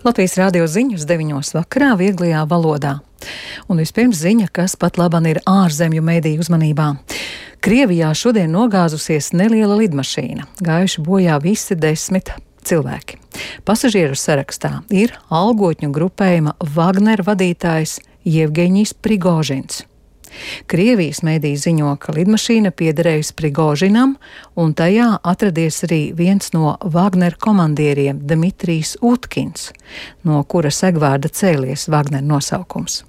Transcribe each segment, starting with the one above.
Latvijas radio ziņas 9 vakarā vieglajā valodā. Un vispirms ziņa, kas pat laban ir ārzemju mediju uzmanībā. Krievijā šodien nogāzusies neliela lidmašīna. Gājuši bojā visi 10 cilvēki. Pasažieru sarakstā ir algotņu grupējuma Wagner vadītājs Jevgeņijs Prigožins. Krievijas mediji ziņo, ka lidmašīna piederējusi Prigožinam, un tajā atradies arī viens no Wagner komandieriem Dmitrijs Utkins, no kura segvārda cēlies Wagner nosaukums.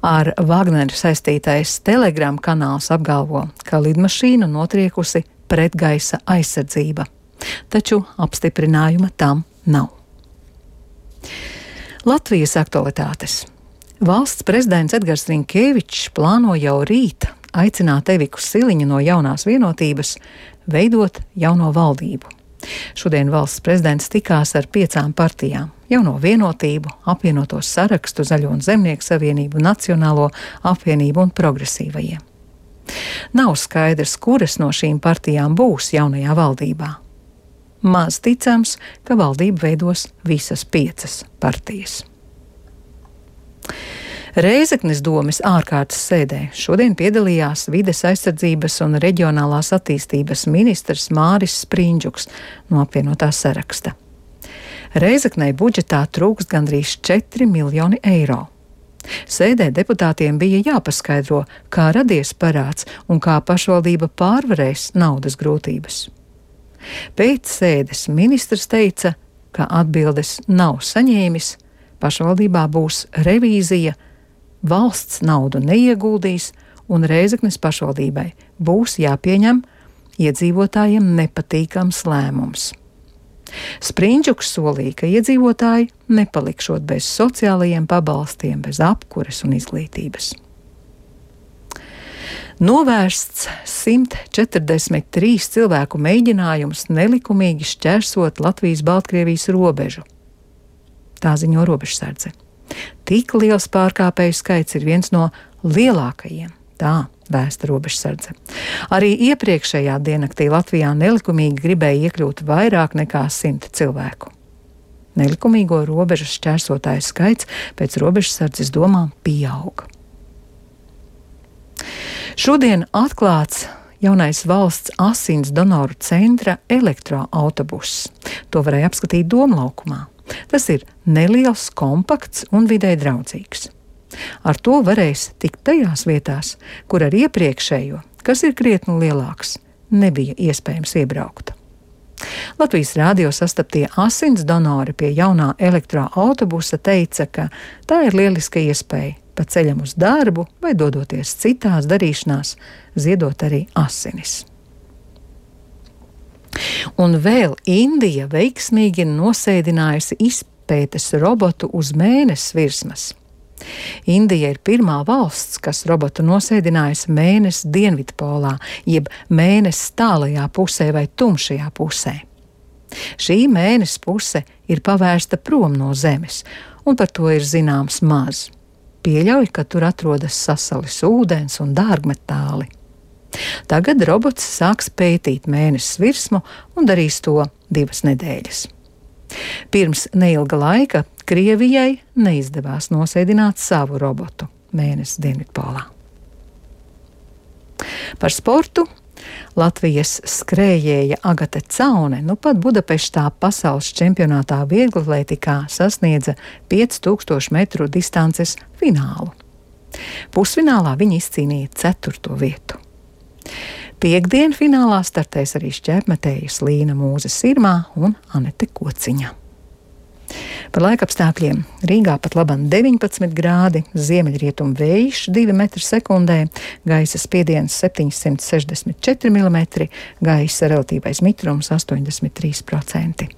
Ar Wagneru saistītais Telegram kanāls apgalvo, ka lidmašīnu notriekusi pretgaisa aizsardzība, taču apstiprinājuma tam nav. Latvijas aktualitātes. Valsts prezidents Edgars Rinkēvičs plāno jau rīt aicināt Eviku Siliņu no Jaunās vienotības veidot jauno valdību. Šodien valsts prezidents tikās ar 5 partijām - Jauno vienotību, apvienoto sarakstu, Zaļo un Zemnieku savienību, Nacionālo apvienību un progresīvajiem. Nav skaidrs, kuras no šīm partijām būs jaunajā valdībā. Maz ticams, ka valdību veidos visas 5 partijas. Rēzeknes domes ārkārtas sēdē šodien piedalījās vides aizsardzības un reģionālās attīstības ministrs Māris Sprindžuks no apvienotā saraksta. Rēzeknei budžetā trūkst gandrīz 4 miljoni eiro. Sēdē deputātiem bija jāpaskaidro, kā radies parāds un kā pašvaldība pārvarēs naudas grūtības. Pēc sēdes ministrs teica, ka atbildes nav saņēmis, pašvaldībā būs revīzija, valsts naudu neieguldīs un Rēzeknes pašvaldībai būs jāpieņem iedzīvotājiem nepatīkams lēmums. Sprindžuks solīja, ka iedzīvotāji nepalikšot bez sociālajiem pabalstiem, bez apkures un izglītības. Novērsts 143 cilvēku mēģinājums nelikumīgi šķērsot Latvijas-Baltkrievijas robežu. Tā ziņo robežsardze. Tik liels pārkāpēju skaits ir viens no lielākajiem, tā vēsta robežsardze. Arī iepriekšējā diennaktī Latvijā nelikumīgi gribēja iekļūt vairāk nekā 100 cilvēku. Nelikumīgo robežas šķērsotāju skaits pēc robežsardzes domām pieauga. Šodien atklāts jaunais valsts asins donoru centra elektroautobuss. To varēja apskatīt Domlaukumā. Tas ir neliels, kompakts un vidē draudzīgs. Ar to varēs tikt tajās vietās, kur ar iepriekšējo, kas ir krietni lielāks, nebija iespējams iebraukt. Latvijas radio sastaptie asins donori pie jaunā elektroautobusa teica, ka tā ir lieliska iespēja pa ceļam uz darbu vai dodoties citās darīšanās, ziedot arī asinis. Un vēl Indija veiksmīgi nosēdinājusi izpētes robotu uz Mēness virsmas. Indija ir pirmā valsts, kas robotu nosēdinājusi Mēness dienvidpolā, jeb Mēness tālajā pusē vai tumšajā pusē. Šī Mēness puse ir pavērsta prom no Zemes, un par to ir zināms maz. Pieļauj, ka tur atrodas sasalis ūdens un dārgmetāli. Tagad robots sāks pētīt Mēness virsmu un darīs to 2 nedēļas. Pirms neilga laika Krievijai neizdevās nosēdināt savu robotu Mēness dienvidpolā. Par sportu Latvijas skrējēja Agate Caune pat Budapeštā pasaules čempionātā vieglatlētikā sasniedza 5000 metru distances finālu. Pusfinālā viņa izcīnīja 4. vietu. Piektdien finālā startēs arī šķēpmetējas Līna Mūze Sirmā un Anete Kociņa. Par laikapstākļiem Rīgā pat laban 19 grādi, ziemeļrietumu vējš 2 metri sekundē, gaisa spiediens 764 mm, gaisa relatīvais mitrums 83%.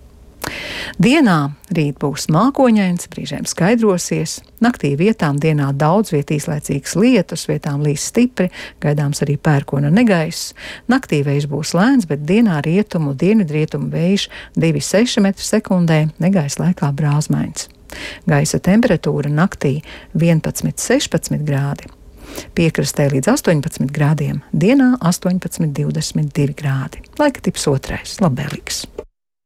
Dienā rīt būs mākoņains, brīžiem skaidrosies, naktī vietām dienā daudz viet īslaicīgs lietus, vietām līs stipri, gaidāms arī pērkona negaiss. Naktī vējš būs lēns, bet dienā rietumu, dienvidrietumu vējš 2,6 metri sekundē, negaisa laikā brāzmains. Gaisa temperatūra naktī 11,16 grādi. Piekrastē līdz 18 grādiem, dienā 18,22 grādi. Laika tips 2. labvēlīgs.